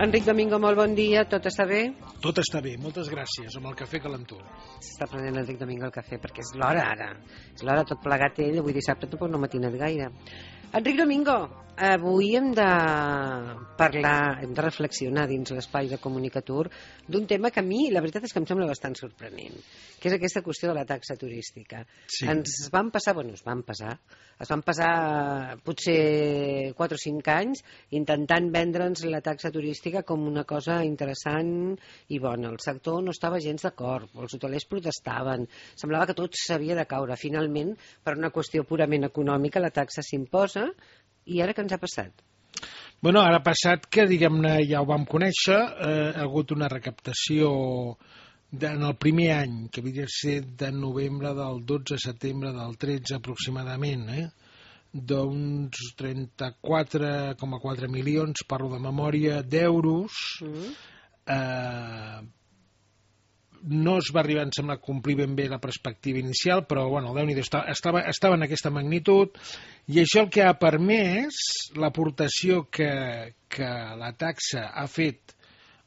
Enric Domingo, molt bon dia, tot està bé? Tot està bé, moltes gràcies, amb el cafè calentó. S'està prenent Enric Domingo el cafè perquè és l'hora ara. És l'hora, tot plegat ell, avui dissabte tampoc no m'ha tingut gaire. Enric Domingo, avui hem de parlar, hem de reflexionar dins l'espai de Comunicatur d'un tema que a mi, la veritat és que em sembla bastant sorprenent, que és aquesta qüestió de la taxa turística. Sí. Es van passar potser 4 o 5 anys intentant vendre'ns la taxa turística com una cosa interessant i bona. El sector no estava gens d'acord, els hotelers protestaven, semblava que tot s'havia de caure. Finalment, per una qüestió purament econòmica, la taxa s'imposa. I ara què ens ha passat? Bueno, ara ha passat que, diguem-ne, ja ho vam conèixer, ha hagut una recaptació en el primer any, que havia de ser de novembre del 12 a setembre del 13 aproximadament, d'uns 34,4 milions, parlo de memòria, d'euros. No es va arribar, em sembla, a complir ben bé la perspectiva inicial, però, bueno, Déu-n'hi-do, estava en aquesta magnitud, i això el que ha permès l'aportació que la taxa ha fet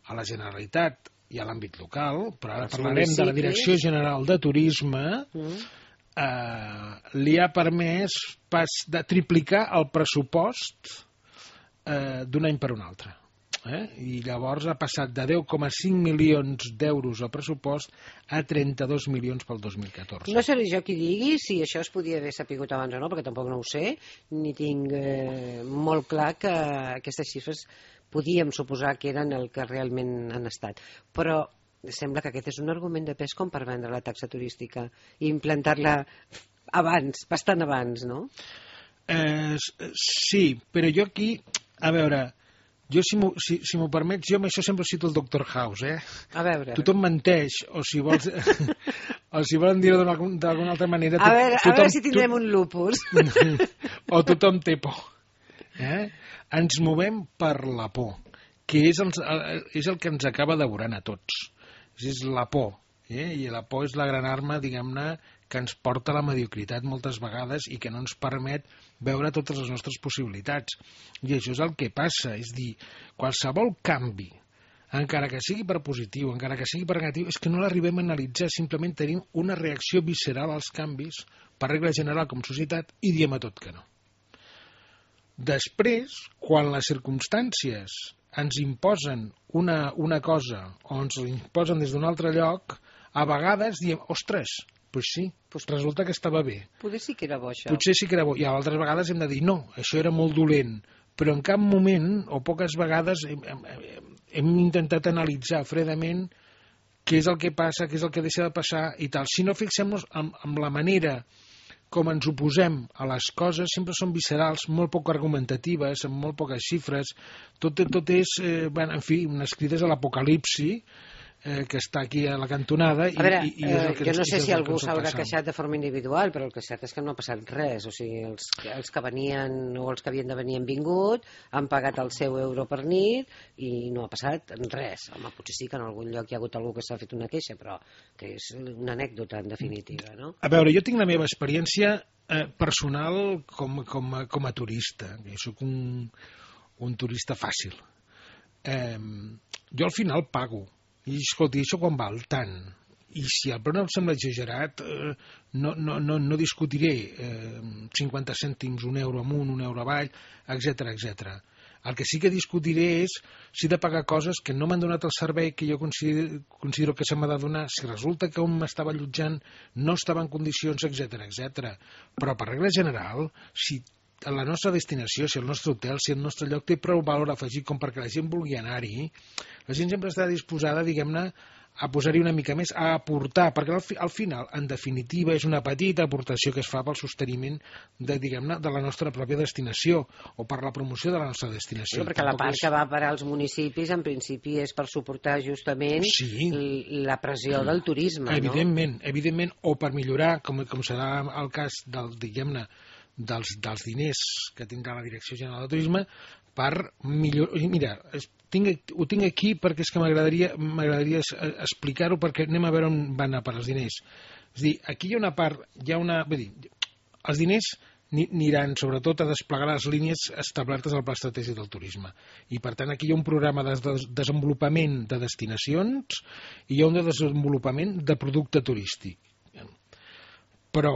a la Generalitat i a l'àmbit local, però ara parlarem de la Direcció General de Turisme, li ha permès de triplicar el pressupost d'un any per un altre. I llavors ha passat de 10,5 milions d'euros al pressupost a 32 milions pel 2014. No seré jo qui digui si això es podia haver sapigut abans o no, perquè tampoc no ho sé, ni tinc molt clar que aquestes xifres podíem suposar que eren el que realment han estat. Però sembla que aquest és un argument de pes com per vendre la taxa turística i implantar-la abans, bastant abans, no? Sí, però jo aquí, a veure... Jo, si m'ho permets, jo amb això sempre cito el Dr. House, A veure. Tothom menteix, o si vols... o si volen dir-ho d'alguna altra manera... A veure si tindrem un lupus. O tothom té por. Ens movem per la por, que és el que ens acaba devorant a tots. És la por. I la por és la gran arma, diguem-ne, que ens porta a la mediocritat moltes vegades i que no ens permet veure totes les nostres possibilitats. I això és el que passa, és dir, qualsevol canvi, encara que sigui per positiu, encara que sigui per negatiu, és que no l'arribem a analitzar, simplement tenim una reacció visceral als canvis, per regla general com societat, i diem a tot que no. Després, quan les circumstàncies ens imposen una cosa o ens imposen des d'un altre lloc, a vegades diem, ostres, doncs sí, resulta que estava bé. Potser sí que era bo, això. Potser sí que era bo. I altres vegades hem de dir, no, això era molt dolent. Però en cap moment, o poques vegades, hem intentat analitzar fredament què és el que passa, què és el que deixa de passar i tal. Si no fixem-nos en la manera com ens oposem a les coses, sempre són viscerals, molt poc argumentatives, amb molt poques xifres. Tot és, en fi, unes crides a l'apocalipsi, que està aquí a la cantonada. A veure, jo no sé si algú s'haurà queixat de forma individual, però el que és cert és que no ha passat res. O sigui, els que venien o els que havien de venir han vingut, han pagat el seu euro per nit i no ha passat res. Home, potser sí que en algun lloc hi ha hagut algú que s'ha fet una queixa, però que és una anècdota en definitiva, no? A veure, jo tinc la meva experiència personal com a turista. Jo soc un turista fàcil. Jo al final pago. I escolti, això quan val tant? I si el preu em sembla exagerat, no discutiré 50 cèntims, un euro amunt, un euro avall, etc. El que sí que discutiré és si he de pagar coses que no m'han donat el servei que jo considero que se m'ha de donar, si resulta que on m'estava allotjant no estava en condicions, etc. Però per regla general, si a la nostra destinació, si el nostre hotel, si el nostre lloc té prou valor afegit com perquè la gent vulgui anar-hi, la gent sempre està disposada, diguem-ne, a posar-hi una mica més, a aportar, perquè al final, en definitiva, és una petita aportació que es fa pel sosteniment de la nostra pròpia destinació o per la promoció de la nostra destinació. Perquè la part que va parar als municipis, en principi, és per suportar justament la pressió del turisme, no? Evidentment, o per millorar, com serà el cas diguem-ne, dels diners que tindrà la Direcció General de Turisme per millorar. Mira, ho tinc aquí perquè és que m'agradaria explicar-ho, perquè anem a veure on van anar per els diners. És a dir, aquí hi ha una part, vull dir, els diners aniran sobretot a desplegar les línies establertes al Pla Estratègic del Turisme. I per tant aquí hi ha un programa de desenvolupament de destinacions i hi ha un de desenvolupament de producte turístic. Però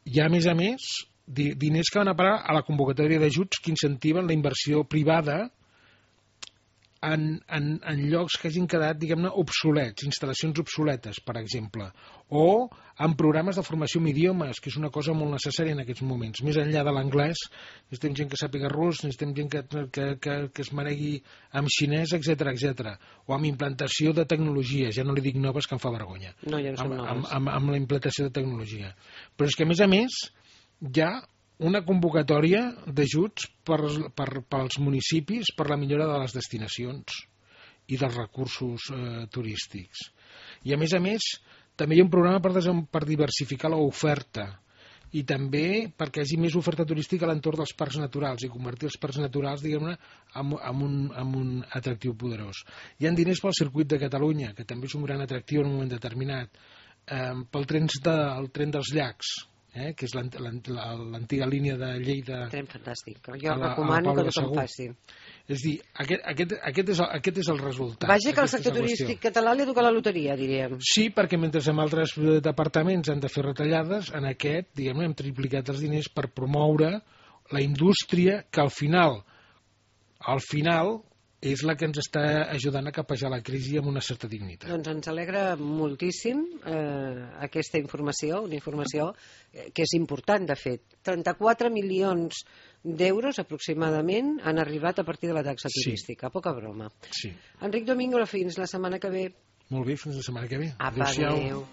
hi ha, a més, diners que van a parar a la convocatòria d'ajuts que incentiven la inversió privada en llocs que hagin quedat, diguem-ne, obsolets, instal·lacions obsoletes, per exemple, o en programes de formació en idiomes, que és una cosa molt necessària en aquests moments. Més enllà de l'anglès, necessitem gent que sàpiga rus, necessitem gent que es maregui amb xinès, etc. O amb implantació de tecnologia, ja no li dic noves, que em fa vergonya. No, ja no són noves. Amb la implantació de tecnologia. Però és que, a més, hi ha una convocatòria d'ajuts pels municipis per la millora de les destinacions i dels recursos turístics. I a més, també hi ha un programa per diversificar l'oferta i també perquè hi hagi més oferta turística a l'entorn dels parcs naturals i convertir els parcs naturals, diguem-ne, en un atractiu poderós. Hi ha diners pel circuit de Catalunya, que també és un gran atractiu en un moment determinat, pel tren dels llacs, que és l'antiga línia de Lleida. Tren fantàstic. Jo recomano que tothom faci. És a dir, aquest és el resultat. Vaja que el sector turístic català li ha tocat la loteria, diríem. Sí, perquè mentre en altres departaments han de fer retallades, en aquest, diguem-ne, hem triplicat els diners per promoure la indústria que al final és la que ens està ajudant a capejar la crisi amb una certa dignitat. Doncs ens alegra moltíssim aquesta informació, una informació que és important, de fet. 34 milions d'euros aproximadament han arribat a partir de la taxa turística. Poca broma. Sí. Enric Domingo, fins la setmana que ve. Molt bé, fins la setmana que ve. Apa, adéu.